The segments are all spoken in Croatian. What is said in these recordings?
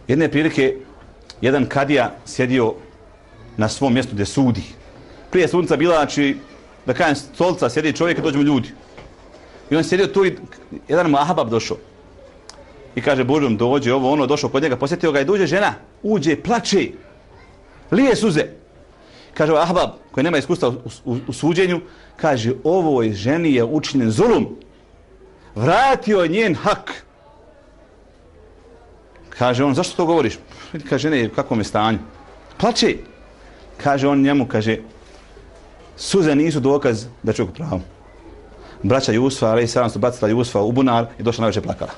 Jedne prilike, jedan kadija sjedio na svom mjestu gdje sudi. Prije sunca bila, znači, da kažem, stolca, sjedi čovjek i dođu mu ljudi. I on sjedio tu i jedan mu ahbab došao. I kaže, Božom, dođe ovo, ono, došao kod njega, posjetio ga i dođe žena, uđe, plače, lije suze. Kaže, ahbab, koji nema iskustva u suđenju, kaže, ovoj ženi je učinjen zulum. Vratio je njen hak. Kaže on, zašto to govoriš? Kaže, žene, u kakvom je stanju? Plače. Kaže on njemu, kaže, suze nisu dokaz da čovjek pravo. Braća Jusufa, ali sada su bacila Jusufa u bunar i došla najveće plakala.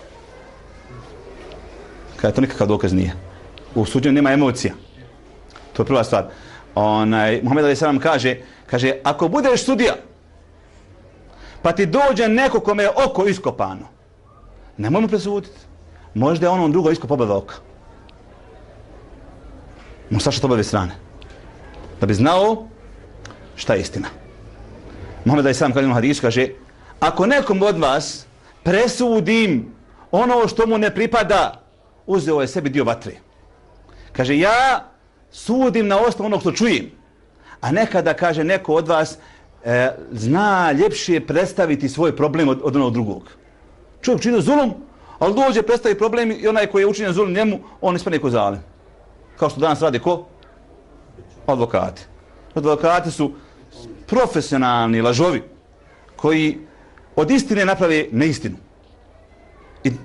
Kaže, to nikakav dokaz nije. U suđenju nema emocija. To je prva stvar. Muhammed ali sada kaže, ako budeš sudija, pa ti dođe neko kome je oko iskopano, nemoj mu presuditi. Možda je ono drugo iskop oba oka. Mu sašati obave strane. Da bi znao šta je istina. Muhammed ali sada kaže u hadisu, kaže, ako nekom od vas presudim ono što mu ne pripada, uzeo je sebi dio vatre. Kaže, ja sudim na osnovu onog što čujem. A nekada, kaže, neko od vas zna ljepše predstaviti svoj problem od onog drugog. Čovjek čini zulum, ali dođe predstavi problem i onaj koji je učinjen zulum njemu, on ispane ko zalim. Kao što danas radi ko? Advokati. Advokati su profesionalni lažovi koji od istine naprave neistinu.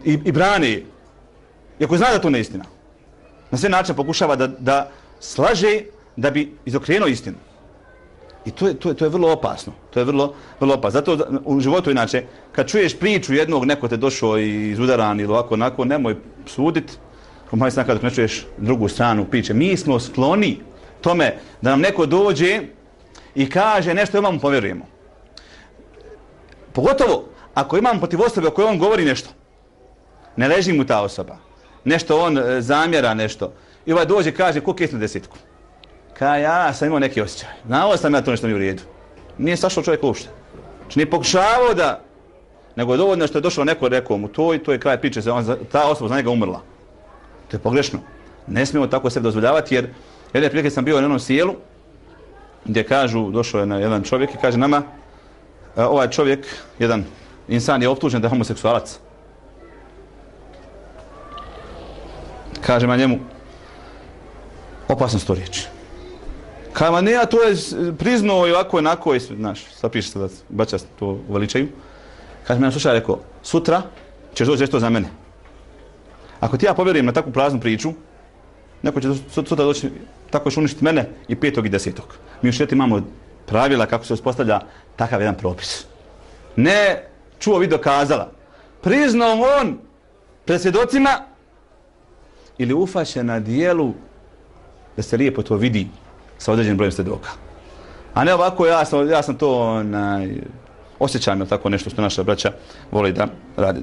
I brane je. Iako zna da to neistina. Na sve način pokušava da slaže da bi izokrenuo istinu. I to je vrlo opasno. To je vrlo opasno. Zato u životu inače, kad čuješ priču jednog, neko te došao i izudaran ili ovako, onako, nemoj sudit. Moj sam kada ne čuješ drugu stranu priče. Mi smo skloni tome da nam neko dođe i kaže nešto i mu povjerujemo. Pogotovo ako imamo protiv osobe o kojoj on govori nešto. Ne leži mu ta osoba. Nešto on zamjera nešto. I ovaj dođe kaže, ko kesnu desetku? Kaj, ja sam imao neki osjećaj. Znao sam ja to nešto nije u redu. Nije sašao čovjek uopšte. Znači nije pokušavao da, nego je dovoljno što je došao neko rekao mu to i to je kraj priče, ta osoba za njega umrla. To je pogrešno. Ne smijemo tako sebi dozvoljavati jer jedne prilike sam bio na jednom sjelu gdje kažu, došao je jedan čovjek i kaže nama, ovaj čovjek, jedan insan je optužen da je homoseksualac. Kaže ma njemu, opasno su to riječi. Kaže ma ne, a to je priznao i ovako onako i znaš, sad piše se da bača to uveličaju. Kaže me, slušaj, rekao, sutra ćeš doći reći to za mene. Ako ti ja povjerujem na takvu praznu priču, neko će sutra doći, tako će uništiti mene i 5. i 10. Mi u šeti imamo pravila kako se uspostavlja takav jedan propis. Ne čuo video kazala. Priznao on pred svjedocima ili ufaće na dijelu da se lijepo to vidi sa određenim brojem svjedoka. A ne ovako, ja sam to osjećam, tako nešto što naša braća voli da radi.